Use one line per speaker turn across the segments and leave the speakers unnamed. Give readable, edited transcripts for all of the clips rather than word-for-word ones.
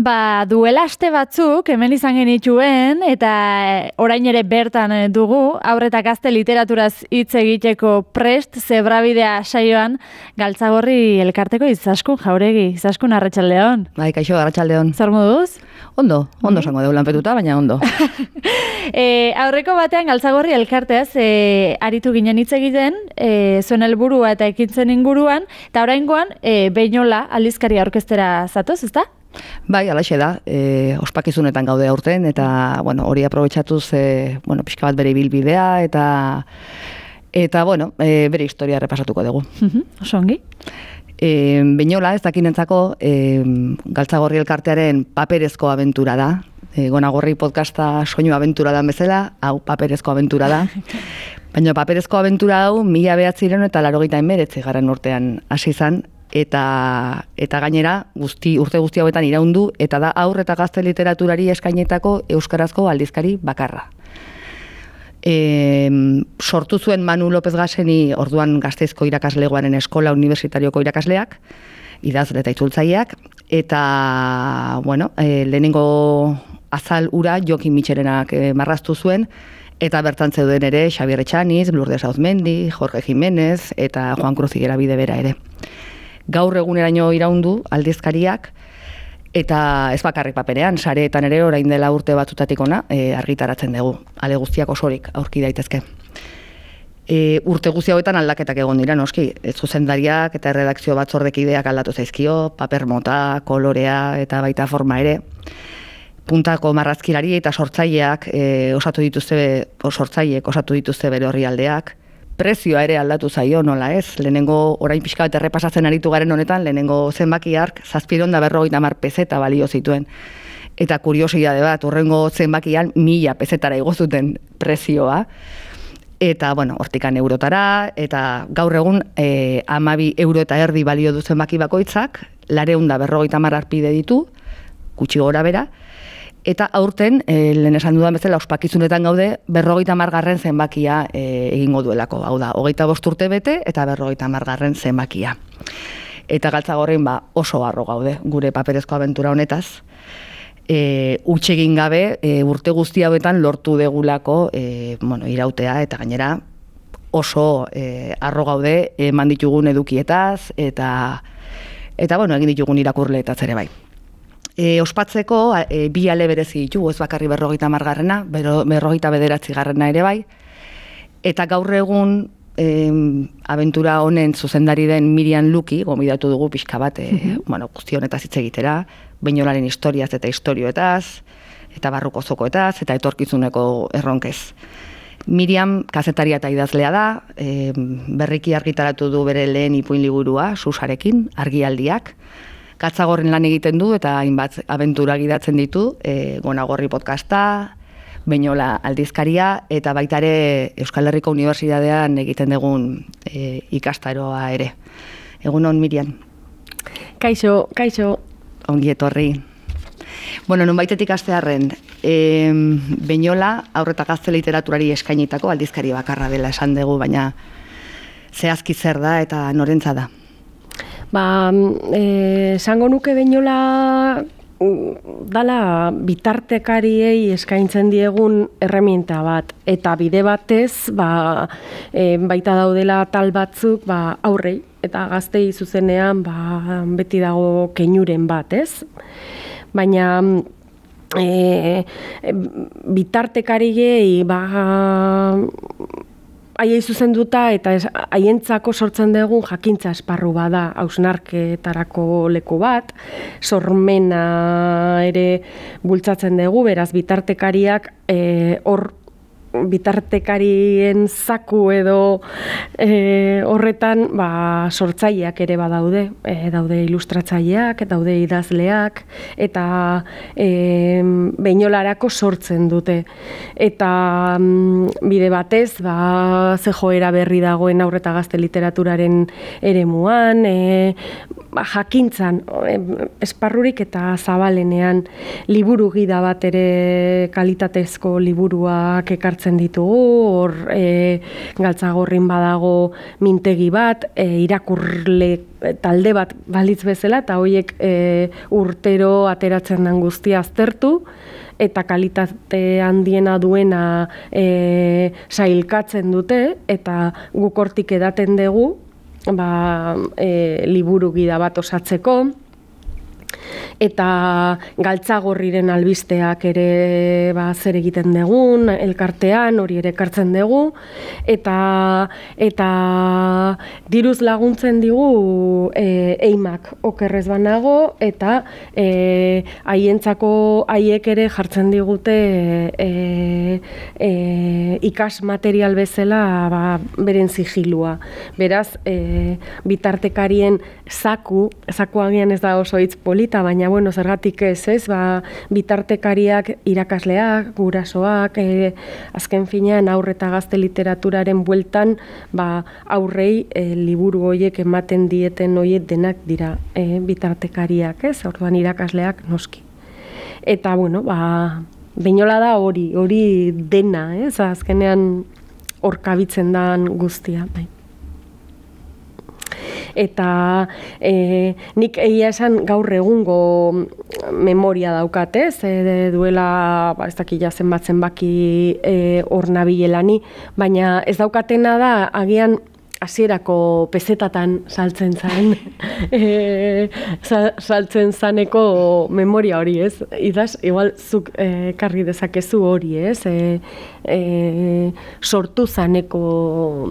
Duela aste batzuk hemen izan genituen eta orain ere bertan dugu haur eta gazte literaturaz hitz egiteko prest zebrabidea saioan Galtzagorri elkarteko Izaskun Jauregi. Izaskun, arratsaldeon.
Bai, kaixo, arratsaldeon.
Zer moduz?
Ondo esango deu lanpetuta, baina ondo.
Aurreko batean Galtzagorri elkarteaz aritu ginen hitz egiten, zuen helburua eta ekintzen inguruan, eta oraingoan Behinola aldizkaria aurkeztera zatoz, ezta?
Bai, alaxe da, ospakizunetan gaude aurten, eta hori aprobetxatuz pixka bat bere ibilbidea, eta bere historia repasatuko dugu.
Oso ongi.
Behinola, ez dakinentzako, Galtzagorri elkartearen paperezko abentura da. Gonagorri podcasta soinu abentura da bezala, hau paperezko abentura da. Baina paperezko abentura hau 1989 garren urtean hasi izan, eta gainera urte guzti hauetan iraundu, eta da haur eta gazte literaturari eskainetako euskarazko aldizkari bakarra. Sortu zuen Manu López Gaseni orduan Gasteizko irakaslegoaren eskola universitarioko irakasleak, idazle eta itzultzaileak, eta lehenengo azal ura Jokin Mitxelenak marraztu zuen, eta bertan zeuden ere Xabier Etxaniz, Lourdes Auzmendi, Jorge Jiménez eta Juan Cruz Igerabide bera ere. Gaur eguneraino iraundu aldizkariak, eta ez bakarrik paperean, sareetan ere orain dela urte batzutatik ona argitaratzen dugu, ale guztiak osorik aurki daitezke. Urte guzti hauetan aldaketak egon dira, noski, zuzendariak eta erredakzio batzordekideak aldatu zaizkio, paper mota, kolorea eta baita forma ere. Puntako marrazkilari eta sortzaileak osatu dituzte bere orrialdeak. Prezioa ere aldatu zaio, nola ez? Lehenengo, orain pixka bat errepasatzen aritu garen honetan, lehenengo zenbakiak 750 pezeta balio zituen. Eta kuriosidade bat, urrengo zenbakian 1000 pezetara igo zuten prezioa. Eta, hortikan eurotara, eta gaur egun 12 euro eta erdi balio du zenbaki bakoitzak, 450 arpide ditu, gutxi gora bera, eta aurten, lehen esan dudan bezala, ospakizunetan gaude, 50 zenbakia egingo duelako. Hau da, 25 urte bete eta 50 zenbakia. Eta Galtzagorrin oso harro gaude, gure paperezko abentura honetaz. Utxegin gabe, urte guzti hauetan lortu degulako irautea, eta gainera oso harro gaude eman ditugun edukietaz, eta egin ditugun irakurleetaz ere bai. Ospatzeko, 2 ale berezi ditugu, ez bakarri 50garrena, 59garrena ere bai, eta gaur egun abentura honen zuzendari den Miriam Luki, gomidatu dugu pixka bat, guzti honetaz hitz egitera, Behinolaren historiaz eta istorioetaz, eta barruko zokoetaz, eta etorkizuneko erronkez. Miriam kazetaria eta idazlea da, berriki argitaratu du bere lehen ipuin liburua, Susarekin, argialdiak, Galtzagorrin lan egiten du eta hainbat abentura gidatzen ditu, Gonagorri podcasta, Behinola aldizkaria, eta baita ere Euskal Herriko Unibertsitatean egiten dugun ikastaroa ere. Egunon, Miriam.
Kaixo.
Ongi etorri. Nonbaitetik hastearren, Behinola haur eta gazte literaturari eskainitako aldizkari bakarra dela esan dugu, baina zehazki zer da eta norentza da?
Esango nuke Behinola dala bitartekariei eskaintzen diegun erreminta bat, eta bide batez baita daudela tal batzuk aurrei eta gaztei zuzenean beti dago keinuren bat, ez? Baina bitartekariei haiei zuzenduta eta haientzako sortzen dugun jakintza esparru bada, hausnarketarako leku bat, sormena ere bultzatzen dugu, beraz bitartekariak hor bitartekarien zaku edo horretan sortzaileak ere badaude, daude ilustratzaileak, daude idazleak, eta Behinolarako sortzen dute. Eta bide batez, ze joera berri dagoen haur eta gazte literaturaren eremuan, jakintzan, esparrurik eta zabalenean liburu gida bat ere kalitatezko liburuak ekartzen hartzen ditugu, hor Galtzagorrin badago mintegi bat, irakurle talde bat balitz bezala, eta horiek urtero ateratzen den guztia aztertu, eta kalitate handiena duena sailkatzen dute, eta guk hortik edaten dugu, liburu gida bat osatzeko, eta Galtzagorriren albisteak ere zer egiten dugun, elkartean, hori ere ekartzen dugu, eta diruz laguntzen digu eimak okerrez banago, eta haiek ere jartzen digute ikas material bezala beren sigilua. Beraz, bitartekarien zakuagian ez da oso hitz polita, baina zergatik ez, bitartekariak irakasleak, gurasoak, azken finean aurre eta gazte literaturaren bueltan, aurrei liburu horiek ematen dieten horiek denak dira bitartekariak, ez? Orduan irakasleak noski. Eta, Beñola da hori dena, ez? Azkenean hor kabitzen dan guztia, bai. Eta nik egia esan gaur egungo memoria daukat, ez? Duela, ez dakila zenbaki hor nabilelani, baina ez daukatena da, agian hasierako pezetatan saltzen zaneko memoria hori, ez? Idaz, igual zuk karri dezakezu hori, ez? Sortu zaneko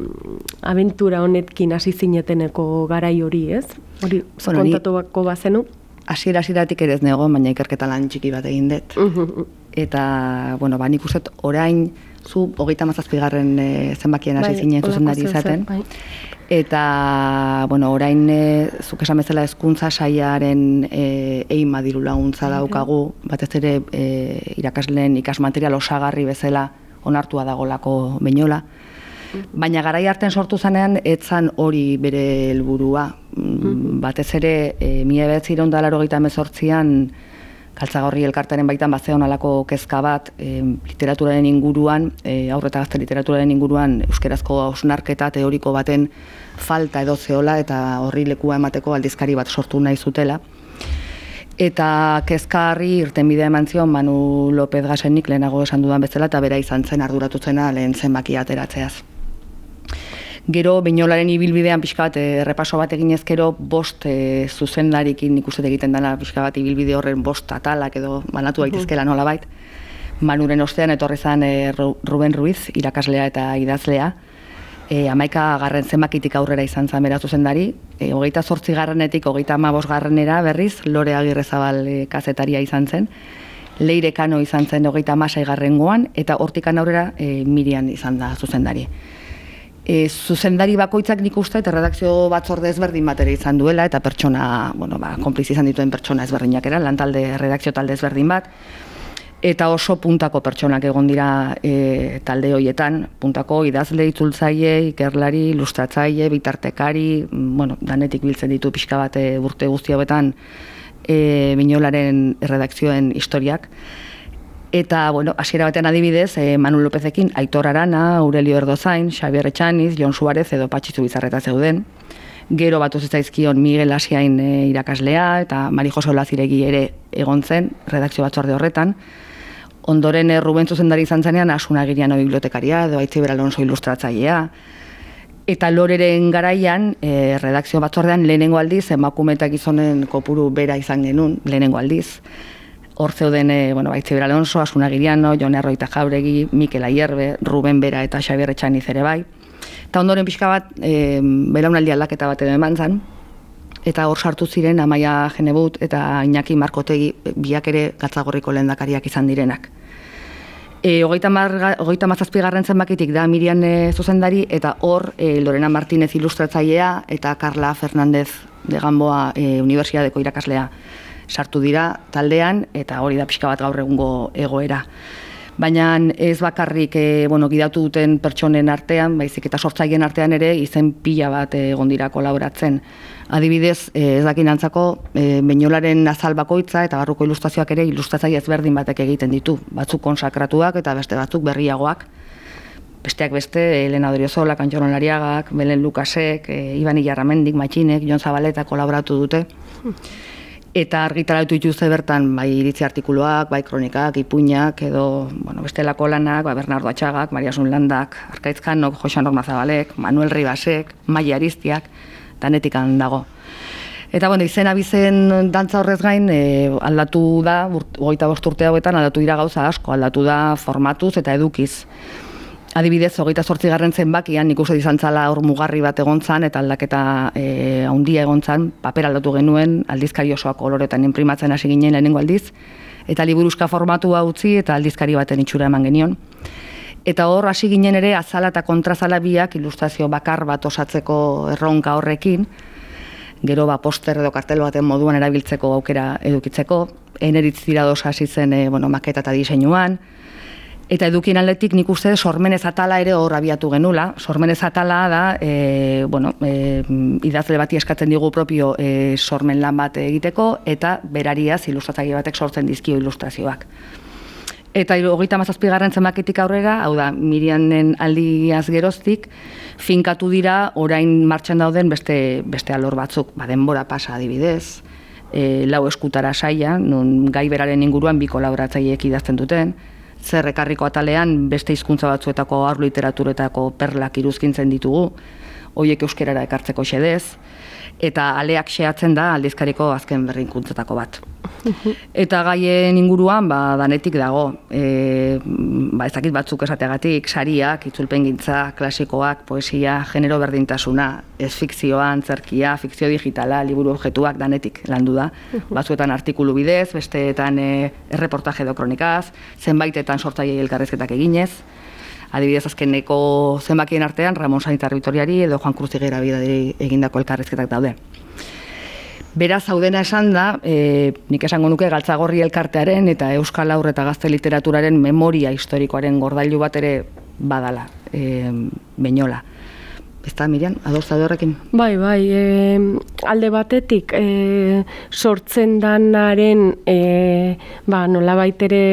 abentura honetkin hasi zineteneko garai hori, ez? Hori kontatuko bazenu?
Hasieratik ere ez nego, baina ikerketa lan txiki bat egin dut. Eta, nik uste orain zu 37. Zenbakien hasi zinen zuzendari izaten. Eta, orain zuk esan bezala hezkuntza sailaren eima diru laguntza daukagu, batez ere irakasleen ikasmaterial osagarri bezala onartua dagolako Beñola. Baina garai harten sortu zanean, etzan hori bere helburua. Batez ere, 1988an Galtzagorri elkartaren baitan bazeon alako kezka bat literaturaren inguruan, aurre eta gazte literaturaren inguruan euskerazko hausnarketa teoriko baten falta edo zeola eta horri lekua emateko aldizkari bat sortu nahi zutela. Eta kezkarri irtenbidea eman zion Manu López Gasenik lehenago esan dudan bezala eta bera izan zen arduratutzena lehen zenbakia ateratzeaz. Gero, Beñolaren ibilbidean pixka bat errepaso bat egin ezkero, 5 zuzendarikin nik uste egiten dela pixka bat ibilbide horren 5 atalak edo banatu daitezkela nolabait. Manuren ostean etorri zen Ruben Ruiz, irakaslea eta idazlea. 11. zenbakitik aurrera izan zen bera zuzendari. 28. 35. berriz, Lore Agirrezabal kazetaria izan zen. Leire Kano izan zen 36. eta hortikan aurrera Miriam izan da zuzendari. Zuzendari bakoitzak nik uste eta redakzio batzorde ezberdin bat ere izan duela eta pertsona, konpliz izan dituen pertsona ezberdinak era, lantalde, redakzio talde ezberdin bat, eta oso puntako pertsonak egon dira talde horietan, puntako idazle, itzultzaile, ikerlari, ilustratzaile, bitartekari, danetik biltzen ditu pixka bat urte guzti hauetan Beñolaren redakzioen historiak. Eta, hasiera batean adibidez, Manu Lópezekin Aitor Arana, Aurelio Erdozain, Xabier Etxaniz, Jon Suárez edo Patxizu Bizarreta zeuden. Gero batu zitzaizkion Miguel Asiain irakaslea eta Mari Jose Olaziregi ere egon zen, redakzio batzorde horretan. Ondoren Ruben zuzendari izan zenean Asun Agiriano bibliotekaria edo Aitziber Alonso ilustratzailea. Eta Loreren garaian, redakzio batzordean lehenengo aldiz, emakume eta gizonen kopuru bera izan genuen, lehenengo aldiz. Hor zeuden Aitziber Alonso, Asun Agiriano, Jon Arroita Jauregi, Mikel Aierbe, Ruben Bera eta Xabier Etxaniz ere bai. Eta ondoren pixka bat, belaunaldi aldaketa bat edo eman zen, eta hor sartu ziren Amaia Genebut eta Iñaki Markotegi biak ere Galtzagorriko lehendakariak izan direnak. 37. zenbakitik da Miriam zuzendari eta hor Lorena Martínez ilustratzailea eta Carla Fernández de Gamboa unibertsitateko irakaslea sartu dira taldean eta hori da pixka bat gaur egungo egoera. Baina ez bakarrik gidatu duten pertsonen artean, baizik eta sortzaileen artean ere izen pila bat egon dira kolaboratzen. Adibidez, ez dakin antzako, Beñolaren azal bakoitza eta barruko ilustrazioak ere ilustratzaile ezberdin batek egiten ditu. Batzuk konsakratuak eta beste batzuk berriagoak. besteak beste, Elena Odriozola, Kantxoron Lariagak, Belen Lukasek, Iban Ilarramendik, Matxinek, Jon Zabaleta kolaboratu dute. Eta argitaratu dituzte bertan, bai iritzi artikuluak, bai kronikak, ipuinak, edo bestelako lanak, Bernardo Atxagak, Maria Sunlandak, Arkaitz Kanok, Joxan Normazabalek, Manuel Ribasek, Maia Aristiak, danetikan dago. Eta izen abizen dantza horrez gain aldatu da, 25 urte hauetan aldatu dira gauza asko, aldatu da formatuz eta edukiz. Adibidez, 28. zenbakian nik uste izan zala hor mugarri bat egon zan, eta aldaketa handia egon zan, paper aldatu genuen, aldizkari osoak koloretan inprimatzen hasi ginen lehenengo aldiz, eta liburuska formatua utzi eta aldizkari baten itxura eman genion. Eta hor hasi ginen ere azala eta kontrazala biak ilustrazio bakar bat osatzeko erronka horrekin, gero poster edo kartel baten moduan erabiltzeko aukera edukitzeko, Eneritz Tirados hasi zen maketa eta diseinuan, eta edukien aldetik nik uste sormenez atala ere hor abiatu genula. Sormenez atala da, idazle bati eskatzen digu propio sormen lan bat egiteko, eta berariaz ilustratzaile batek sortzen dizkio ilustrazioak. Eta 37. zenbakitik aurrera, hau da, Mirianen aldiaz geroztik, finkatu dira orain martxan dauden beste alor batzuk, denbora pasa adibidez, lau eskutara saia, non gai beraren inguruan bi kolaboratzaileek idazten duten, zer ekarriko atalean beste hizkuntza batzuetako haur literaturetako perlak iruzkintzen ditugu, horiek euskerara ekartzeko xedez, eta aleak xeatzen da aldizkariko azken berrikuntzatako bat. Eta gaien inguruan danetik dago, ezakit batzuk esateagatik, sariak, itzulpengintza, klasikoak, poesia, genero berdintasuna, ez fikzioa, antzerkia, fikzio digitala, liburu objektuak danetik landu da. Batzuetan artikulu bidez, besteetan erreportaje edo kronikaz, zenbaitetan sortzaile elkarrizketak eginez. Adibidez, azkeneko zenbakien artean, Ramon Sanitar Bitoriari edo Juan Cruz Igera-Bidari egindako elkarrizketak daude. Beraz, hau dena esan da, nik esango nuke Galtzagorri elkartearen eta Euskal Haur eta Gazte Literaturaren memoria historikoaren gordailu bat ere badala, Beñola. Ezta, Miriam, ados zaude horrekin?
Bai, alde batetik sortzen danaren nolabait ere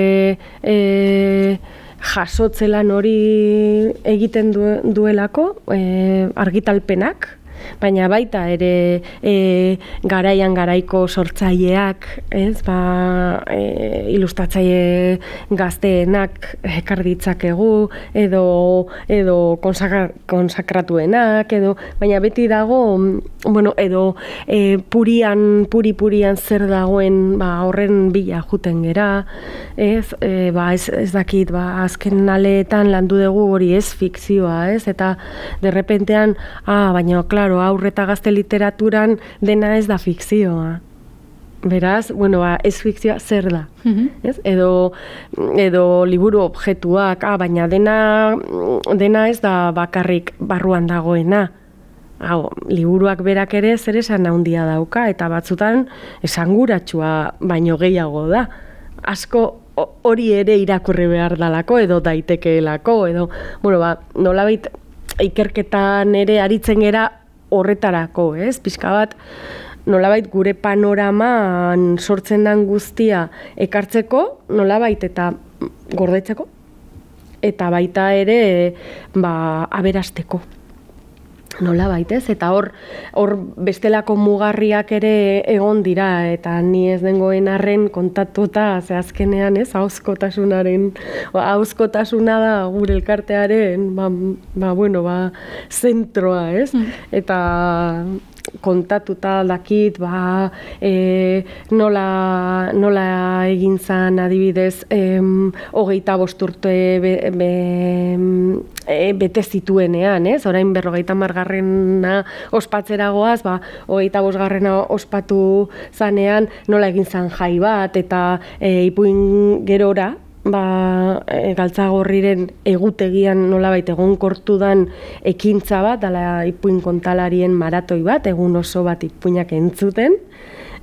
jasotzelan hori egiten duelako argitalpenak, baina baita ere garaian garaiko sortzaileak, ilustratzaile gazteenak ekar ditzakegu edo konsakratuenak baina beti dago edo purian zer dagoen horren bila juten gera, ez dakit azken aleetan landu dugu hori ez fikzioa, eta derrepentean baina claro, haur eta gazte literaturan dena ez da fikzioa. Beraz, ez fikzioa zer da. Edo liburu objektuak, baina dena ez da bakarrik barruan dagoena. Liburuak berak ere zer esan handia dauka, eta batzutan esanguratsua baino gehiago da. Asko hori ere irakurri behar dalako, edo daitekeelako, edo, nolabait ikerketan ere aritzen gera horretarako, pixka bat, nolabait gure panoraman sortzen den guztia ekartzeko, nolabait eta gordetzeko, eta baita ere aberasteko. Nolabait, eta hor bestelako mugarriak ere egon dira, eta ni ez dengoen arren kontatuta, azkenean, ahozkotasuna da gure elkartearen, zentroa, eta kontatuta dakit, nola egin zan adibidez, 25 urte bete zituenean, orain 50. ospatzera goaz, 25. ospatu zanean nola egin zan jai bat, eta ipuin gerora, Galtzagorriren egutegian nolabait egonkortu dan ekintza bat, dala ipuin kontalarien maratoi bat, egun oso bat ipuinak entzuten,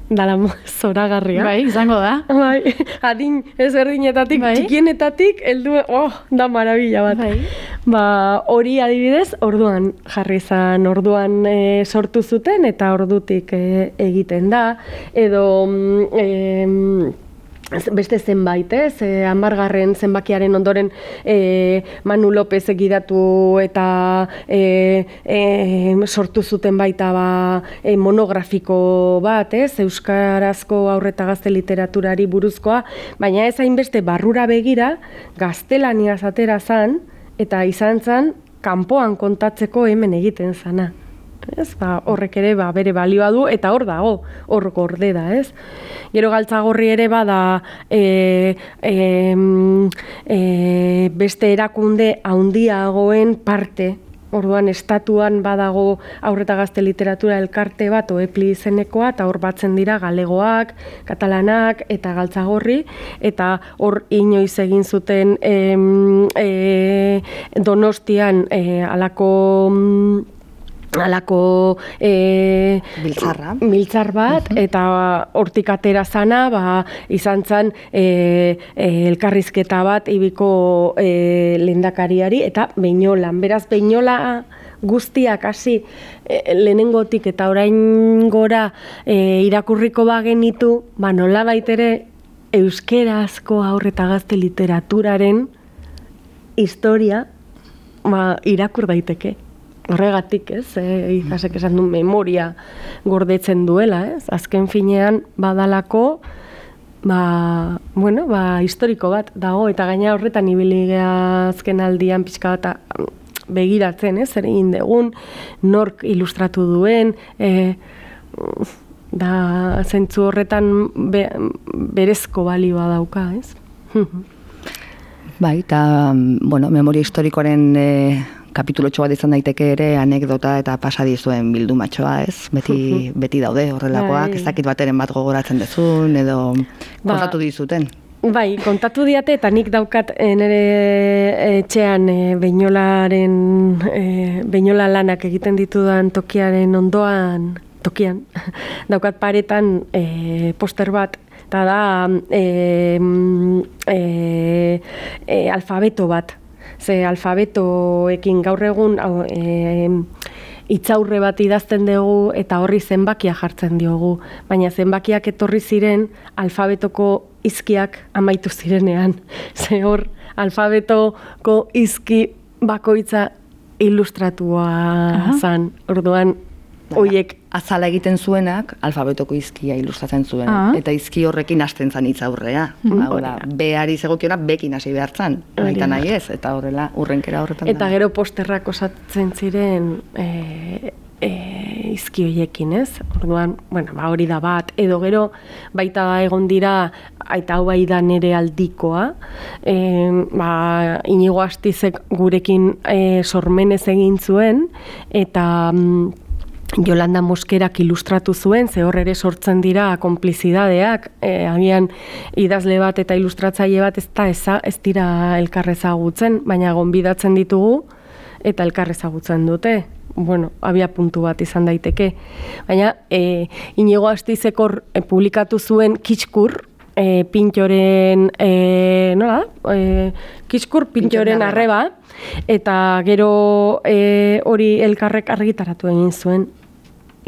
dala zoragarria.
Bai, izango da.
Bai, adin ezberdinetatik, txikienetatik, da marabila bat. Hori adibidez, orduan jarri zan, orduan sortu zuten, eta ordutik egiten da, edo beste zenbait, ez? 10. zenbakiaren ondoren Manu Lopez egidatu eta sortu zuten baita monografiko bat, ez? Euskarazko haur eta gazte literaturari buruzkoa, baina ez hainbeste barrura begira, gaztelaniaz atera zan, eta izan zan, kanpoan kontatzeko hemen egiten zana. Ez, horrek ere bere balioa du eta hor dago, hor gorde da, ez? Gero Galtzagorri ere bada beste erakunde handiagoen parte. Orduan estatuan badago haur eta gazte literatura elkarte bat OEPLI izenekoa eta hor batzen dira galegoak, katalanak eta Galtzagorri eta hor inoiz egin zuten Donostian halako miltzar bat, eta hortik atera zana, izan zen elkarrizketa bat ibiko lehendakariari, eta Beñolan. Beraz, Beñola guztiak hasi lehenengotik eta orain gora irakurriko bagenitu, nolabait ere euskerazko haur eta gazte literaturaren historia irakur daiteke. Horregatik, ez, ikasek esan du memoria gordetzen duela, ez? Azken finean badalako, historiko bat dago, eta gaina horretan ibili azken aldian pixka bat begiratzen, ez? Zer egin dugun, nork ilustratu duen, da zentzu horretan berezko balioa dauka, ez?
Bai, eta, memoria historikoaren kapitulotxo bat izan daiteke ere anekdota eta pasadizuen bildumatxoa, ez? Beti daude horrelakoak, ez dakit bateren bat gogoratzen dezun, edo kontatu dizuten.
Bai, kontatu diate eta nik daukat nire etxean Beñola lanak egiten ditudan tokiaren ondoan, daukat paretan poster bat, eta da alfabeto bat. Ze alfabetoekin gaur egun hitzaurre bat idazten dugu eta horri zenbakia jartzen diogu. Baina zenbakiak etorri ziren alfabetoko hizkiak amaitu zirenean. Ze hor alfabetoko hizki bakoitza ilustratua zan. Orduan, hoiek
azala egiten zuenak alfabetoko hizkia ilustratzen zuen, eta hizki horrekin hasten zan hitzaurrea. Beari zegokiona bekin hasi behartzan, baita nahi ez, eta horrela urrenkera horretan da.
Eta gero posterrak osatzen ziren hizki hoiekin, ez? Orduan, hori da bat, edo gero baita da egon dira, eta hau bai da nere aldikoa, Inigo Astizek gurekin sormenez egin zuen, eta Yolanda Moskerak ilustratu zuen, ze hor ere sortzen dira konplizidadeak, agian idazle bat eta ilustratzaile bat ez dira elkarrezagutzen, baina gonbidatzen ditugu eta elkarrezagutzen dute. Abia puntu bat izan daiteke. Baina Inigo Astizek hor publikatu zuen Kitxkur, Pintxoren, Kitxkur Pintxoren arreba, eta gero hori elkarrek argitaratu egin zuen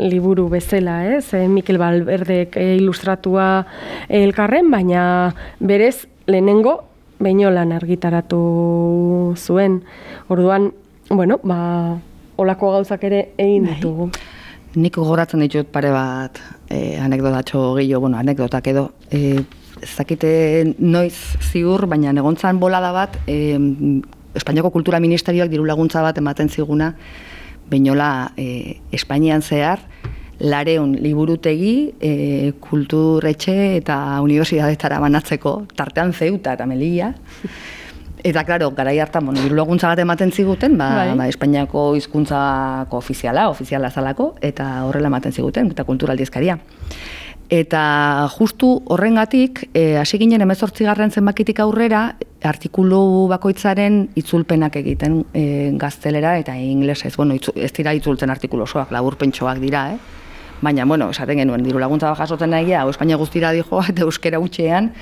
liburu bezala, ez? Mikel Valverdek ilustratua elkarren, baina berez lehenengo Beñolan argitaratu zuen. Orduan, holako gauzak ere egin ditugu.
Nik gogoratzen ditut pare bat anekdotatxo gehiago, anekdotak edo. Ez dakite noiz ziur, baina egontzan bolada bat, Espainiako Kultura Ministerioak diru laguntza bat ematen ziguna, Beñola Espainian zehar, 200 liburutegi, kulturetxe eta unibertsitatetara banatzeko, tartean Ceuta eta Melilla. Eta, klaro, garai hartan, diru laguntza bat ematen ziguten, Espainiako hizkuntzako ofiziala zalako, eta horrela ematen ziguten, eta kulturaldizkaria. Eta justu horrengatik, hasi ginen 18. zenbakitik aurrera, artikulu bakoitzaren itzulpenak egiten gaztelera eta inglesez. Ez dira itzultzen artikulu osoak, laburpentsoak dira, Baina, esaten genuen, diru laguntza bat jasotzen nagia, Espainia guztira dijoa eta euskera hutxean,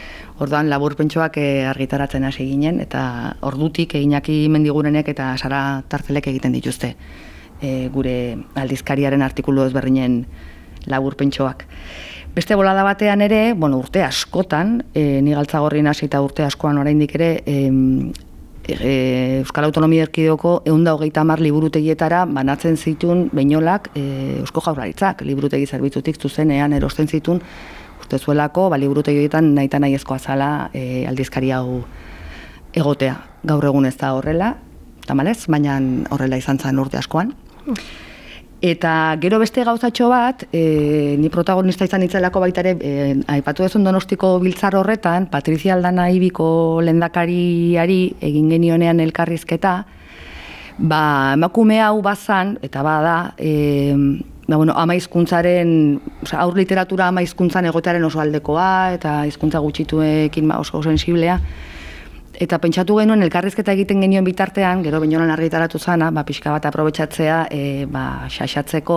orduan laburpentsoak argitaratzen hasi ginen, eta ordutik Iñaki Mendigurenek eta Sara Tartelek egiten dituzte gure aldizkariaren artikulu ezberdinen laburpentsoak. Beste bolada batean ere, urte askotan, ni Galtzagorrin hasi eta urte askoan oraindik ere, Euskal Autonomia Erkidegoko 130 liburutegietara banatzen zituen Beñolak Eusko Jaurlaritzak, liburutegi zerbitzutik zuzenean erosten zituen, uste zuelako, liburutegietan nahita nahiezkoa zala aldizkari hau egotea. Gaur egun ez da horrela, tamalez, baina horrela izan zen urte askoan. Eta gero beste gauzatxo bat, ni protagonista izan itzelako baita ere, aipatu dezun Donostiko biltzar horretan, Patrizia Aldana Ibiko lehendakariari egin genionean elkarrizketa, emakume hau bazan, eta bada, ama hizkuntzaren, aur literatura ama hizkuntzan egotearen oso aldekoa, eta hizkuntza gutxituekin oso sensiblea. Eta pentsatu genuen elkarrizketa egiten genioen bitartean, gero Beñolan argitaratu zana, pixka bat aprobetxatzea, xaxatzeko,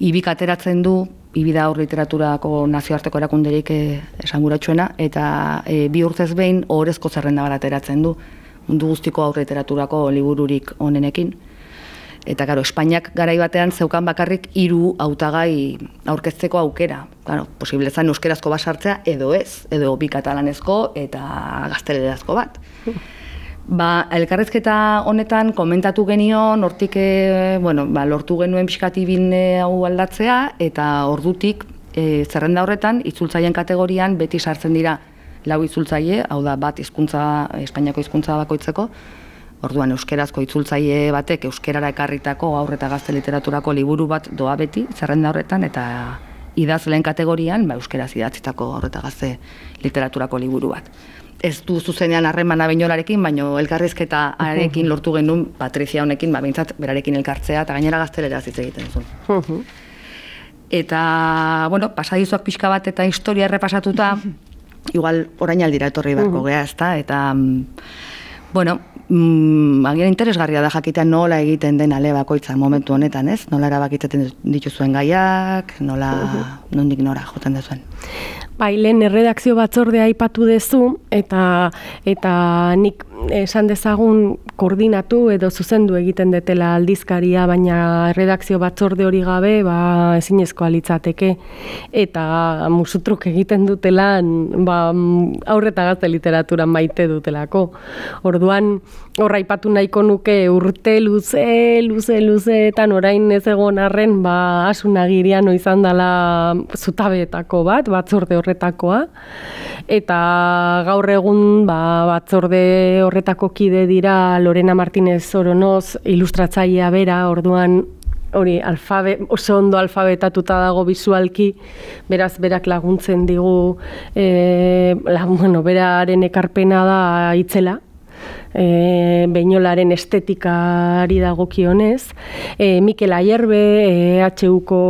Ibik ateratzen du, Ibi da aur literaturako nazioarteko erakunderik esanguratsuena, eta 2 urtez behin ohorezko zerrenda bat ateratzen du, mundu guztiko aur literaturako libururik onenekin. Eta, Espainiak garai batean zeukan bakarrik 3 hautagai aurkezteko aukera. Posible zen euskerazko bat sartzea, edo ez, edo bi katalanezko eta gaztelerazko bat. Elkarrizketa honetan komentatu genion, hortik lortu genuen pixkatibin hau aldatzea, eta ordutik zerrenda horretan, itzultzaien kategorian beti sartzen dira 4 itzultzaile, hau da bat Espainiako hizkuntza bakoitzeko, orduan euskerazko itzultzaile batek euskerara ekarritako aur eta gazte literaturako liburu bat doa beti zerrenda horretan, eta idazleen kategorian euskeraz idatzitako aur eta gazte literaturako liburu bat. Ez du zuzenean harremana Beñolarekin, baina elkarrizketa arekin lortu genuen Patrizia honekin, behintzat berarekin elkartzea, eta gainera gazteleraz hitz egiten zuen. Eta, pasadizoak pixka bat eta historia errepasatuta, igual orain aldira etorri beharko gea, ezta, eta agian interesgarria da jakitea nola egiten den ale bakoitzan momentu honetan, ez? Nola erabakitzen dituzuen gaiak, nondik nora joten duzuen.
Lehen erredakzio batzordea aipatu dezu, eta nik esan dezagun koordinatu edo zuzendu egiten detela aldizkaria, baina erredakzio batzorde hori gabe ezinezkoa litzateke, eta musutruk egiten dutelan aur eta gazte literaturan maite dutelako. Orduan, horra aipatu nahiko nuke urte luzeetan orain ez egon arren asunagirian izan dela zutabeetako bat, batzorde horretakoa, eta gaur egun batzorde horretako kide dira Lorena Martínez Oronoz, ilustratzailea bera, orduan hori oso ondo alfabetatuta dago bisualki, beraz berak laguntzen digu, beraren ekarpena da itzela, Beñolaren estetikari dagokionez, Mikel Ayerbe, HUko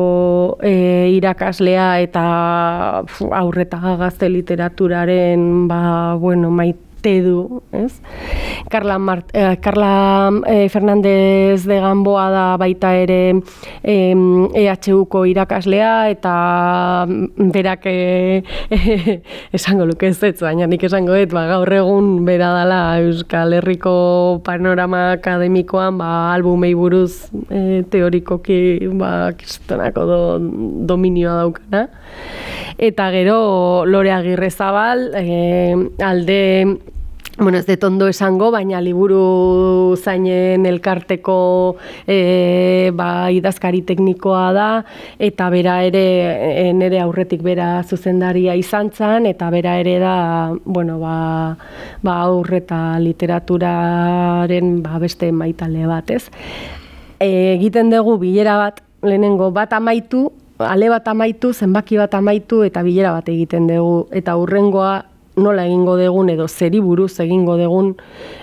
irakaslea eta aur eta gazte literaturaren maite du, ez? Carla Fernández de Gamboa da baita ere EHUko irakaslea, eta berak esango luke ez, baina nik esango gaur egun bera dela Euskal Herriko panorama akademikoan albumei buruz teorikoki kristonako dominioa daukana. Eta gero Lore Agirrezabal, alde ez dut ondo esango, baina liburu zainen elkarteko idazkari teknikoa da, eta bera ere nire aurretik bera zuzendaria izan zen, eta bera ere da aur eta literaturaren beste maitale bat, ez? Egiten dugu bilera bat, lehenengo bat amaitu, ale bat amaitu, zenbaki bat amaitu, eta bilera bat egiten dugu, eta hurrengoa nola egingo dugun edo zeri buruz egingo dugun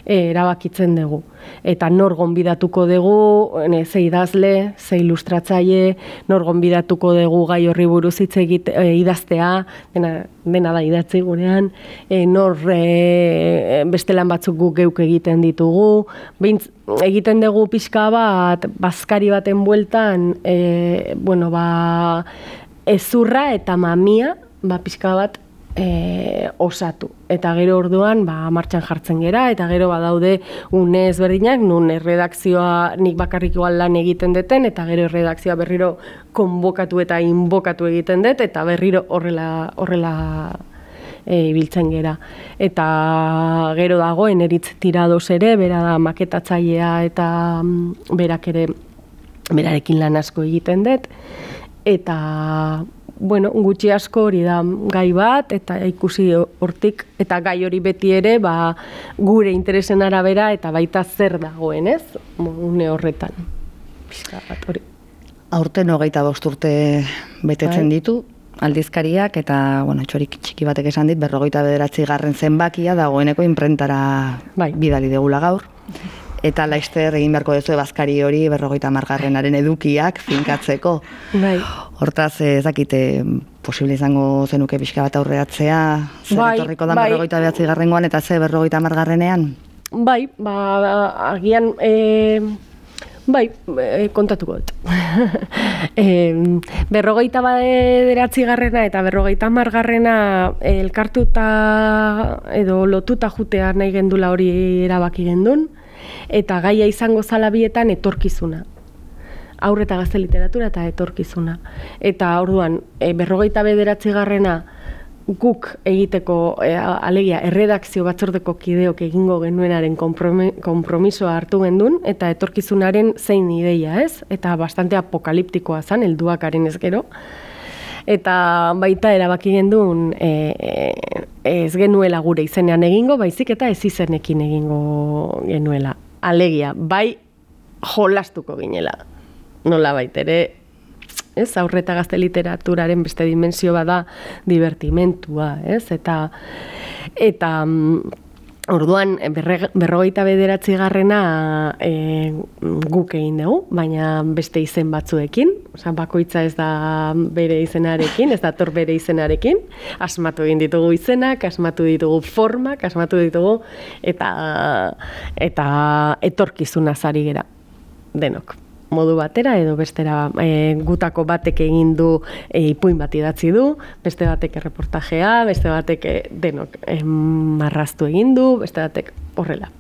erabakitzen dugu. Eta nor gonbidatuko dugu, ze idazle, ze ilustratzaile, nor gonbidatuko dugu gai horri buruz hitz idaztea, dena da idatzi gurean, nor beste lan batzuk guk geuk egiten ditugu, egiten dugu pixka bat, bazkari baten bueltan, ezurra eta mamia, pixka bat, osatu. Eta gero orduan martxan jartzen gera, eta gero badaude une ezberdinak, nun erredakzioa nik bakarrik igual lan egiten deten, eta gero erredakzioa berriro konbokatu eta inbokatu egiten dut, eta berriro horrela ibiltzen gera. Eta gero dago Eneritz Tirados ere, bera da maketatzailea eta berak ere berarekin lan asko egiten dut, eta bueno, gutxi asko hori da gai bat, eta ikusi hortik, eta gai hori beti ere gure interesen arabera, eta baita zer dagoen, ez? Une horretan. Pixka bat hori.
Aurten 25 urte betetzen ditu, aldizkariak, eta, bueno, txorik txiki batek esan dit, 59. zenbakia dagoeneko inprentara bidali degula gaur. Eta laizter egin beharko duzu bazkari hori 50. edukiak finkatzeko. Hortaz, ez dakite, posible izango zenuke pixka bat aurreatzea, zer etorriko da 59. eta ze 50.
Bai, agian, kontatuko dut. 59. eta 50. elkartuta edo lotuta jutea nahi gendula hori erabaki gendun, eta gaia izango zala bietan etorkizuna. Haur eta gazte literatura eta etorkizuna. Eta orduan, 59. guk egiteko, alegia, erredakzio batzordeko kideok egingo genuenaren konpromisoa hartu gendun, eta etorkizunaren zein ideia, ez? Eta bastante apokaliptikoa zan, helduakaren ez gero. Eta baita erabaki gendun ez genuela gure izenean egingo, baizik eta ez izenekin egingo genuela. Alegia, bai jolastuko ginela. Nola baita ere, ez, haur eta gazte literaturaren beste dimensio bada divertimentua, ez? Eta orduan, 59. Guk egin dugu, baina beste izen batzuekin, bakoitza ez da bere izenarekin, ez dator bere izenarekin, asmatu egin ditugu izenak, asmatu ditugu formak, asmatu ditugu, eta etorkizuna zari gera, denok. Modu batera edo bestera, gutako batek egin du ipuin bat idatzi du, beste batek erreportajea, beste batek denok marraztu egin du, beste batek horrela.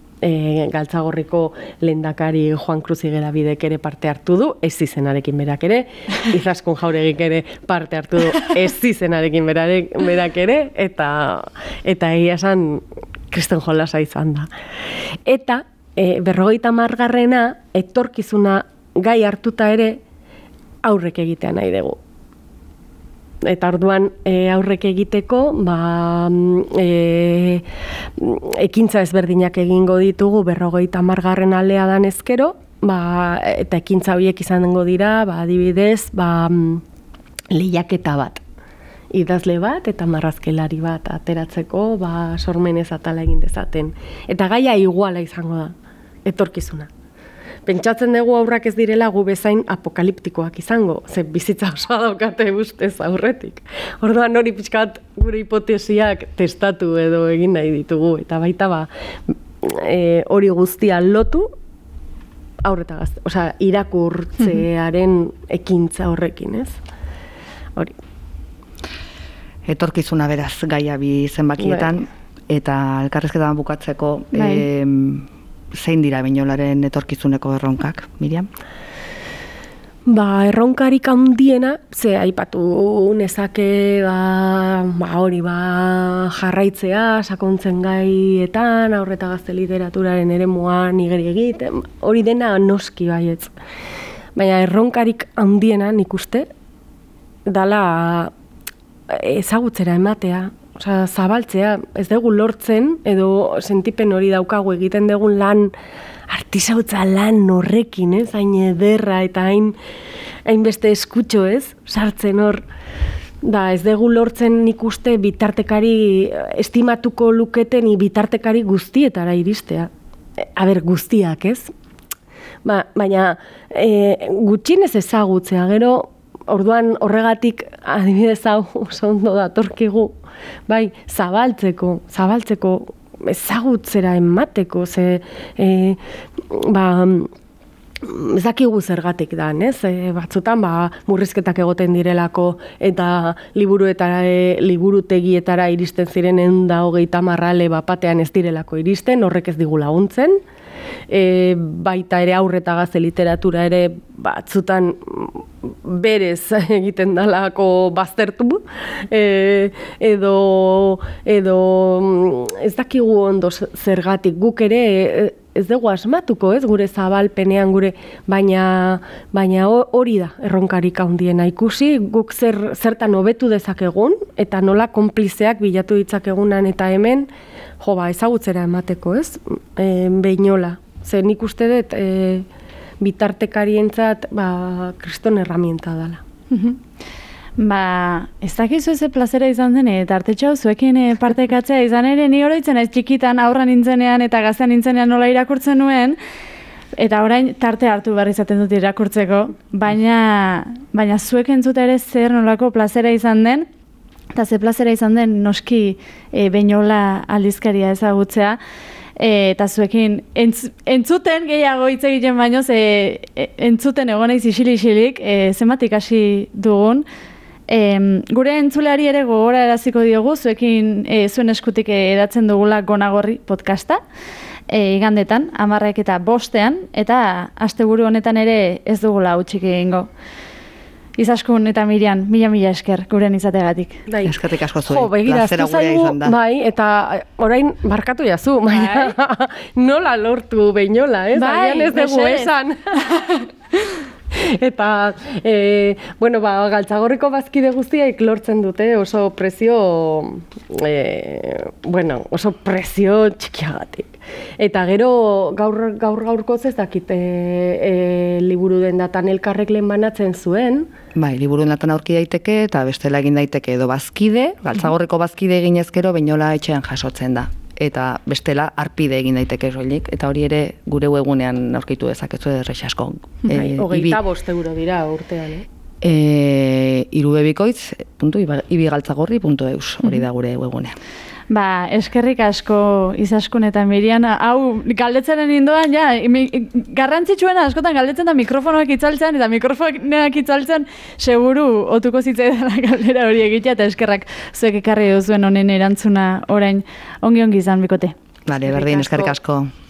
Galtzagorriko lehendakari Juan Cruz Igerabidek ere parte hartu du, ez izenarekin berak ere, Izaskun Jauregik ere parte hartu du, ez izenarekin berak ere, eta egia esan kristen jolasa izan da. Eta 50. etorkizuna gai hartuta ere aurrek egitea nahi dugu. Eta orduan aurrek egiteko ekintza ezberdinak egingo ditugu 50. alea dan ezkero, eta ekintza horiek izango dira, adibidez, lehiaketa bat. Idazle bat eta marrazkelari bat ateratzeko sormenez atala egin dezaten. Eta gaia iguala izango da, etorkizuna. Pentsatzen dugu aurrak ez direla gu bezain apokaliptikoak izango, ze bizitza osoa daukate ustez aurretik. Orduan hori pixkat gure hipotesiak testatu edo egin nahi ditugu, eta baita hori guztia lotu aurreta gazte, irakurtzearen ekintza horrekin, ez? Hori.
Etorkizuna beraz gaia bi zenbakietan, eta elkarrizketan bukatzeko, zein dira Beñolaren etorkizuneko erronkak, Miriam?
Erronkarik handiena, ze aipatu nezake hori jarraitzea, sakontzen gaietan, haur eta gazte literaturaren eremuan igeri egiten, hori dena noski baietz. Baina erronkarik handiena nik uste, dala ezagutzera ematea, zabaltzea, ez dugu lortzen, edo sentipen hori daukagu egiten dugun lan, artisautza lan horrekin, ez? Hain ederra eta hain beste eskutxo, ez? Sartzen hor, ez dugu lortzen nik uste bitartekari, estimatuko luketen bitartekari guztietara iristea. Guztiak, ez? Baina gutxinez ezagutzea, gero, orduan horregatik adibidez hau oso ondo datorkigu, zabaltzeko, ezagutzera emateko, ze ez dakigu zergatik dan, ez? Batzutan, murrizketak egoten direlako eta liburutegietara iristen ziren 130 ale bapatean ez direlako iristen, horrek ez digu laguntzen. Baita ere aurre eta gazte literatura ere batzutan berez egiten dalako baztertu, edo ez dakigu ondo zergatik, guk ere ez dugu asmatuko, ez, gure zabalpenean baina hori da erronkarik handiena ikusi, guk zertan hobetu dezakegun eta nola konplizeak bilatu ditzakegunan eta hemen ezagutzera emateko, ez, Behinola. Ze nik uste dut bitartekarientzat kriston herramienta dela.
Ez dakizu ze plazera izan zen, eta artetxo zuekin partekatzea izan ere, ni oroitzen ez txikitan aurra nintzenean eta gaztean nintzenean nola irakurtzen nuen, eta orain tarte hartu behar izaten dut irakurtzeko, baina zuek entzuta ere zer nolako plazera izan den, eta ze plazera izan den noski Behinola aldizkaria ezagutzea, eta zuekin entzuten gehiago hitz egiten baino, entzuten egoneiz isilik, zenbat ikasi dugun. Gure entzuleari ere gogora eraziko diogu, zuekin zuen eskutik edatzen dugula Gonagorri podcasta, igandetan, 10:05, eta asteburu honetan ere ez dugula hutsik egingo. Izaskun eta Mirian, mila esker guren izategatik.
Eskerrik asko zuen,
begira,
plazera gurea izan da.
Bai, eta orain barkatu jazu, baina nola lortu Behinola, ez? Agian ez dugu esan. Eta, Galtzagorriko bazkide guztiak lortzen dute oso prezio, oso prezio txikiagatik. Eta gero gaurkoz ez dakit liburu dendatan elkarrek lehen banatzen zuen.
Bai, liburu dendatan aurki daiteke eta bestela egin daiteke edo bazkide, Galtzagorriko bazkide egin ezkero Behinola etxean jasotzen da. Eta bestela arpide egin daiteke soilik, eta hori ere gure webunean aurkitu dezakezu erresasko.
25 euro dira urtean,
irubebikoitz.ibigaltzagorri.eus, hori da gure webunean.
Eskerrik asko Izaskun eta Mirian, hau galdetzenen indoan, garrantzitsuena askotan galdetzen da mikrofonoak itzaltzen, eta mikrofonoak itzaltzen seguru otuko zitzaidala galdera hori egitea, eta eskerrak zuek ekarri duzuen honen erantzuna orain ongi izan bikote.
Berdin, eskerrik asko.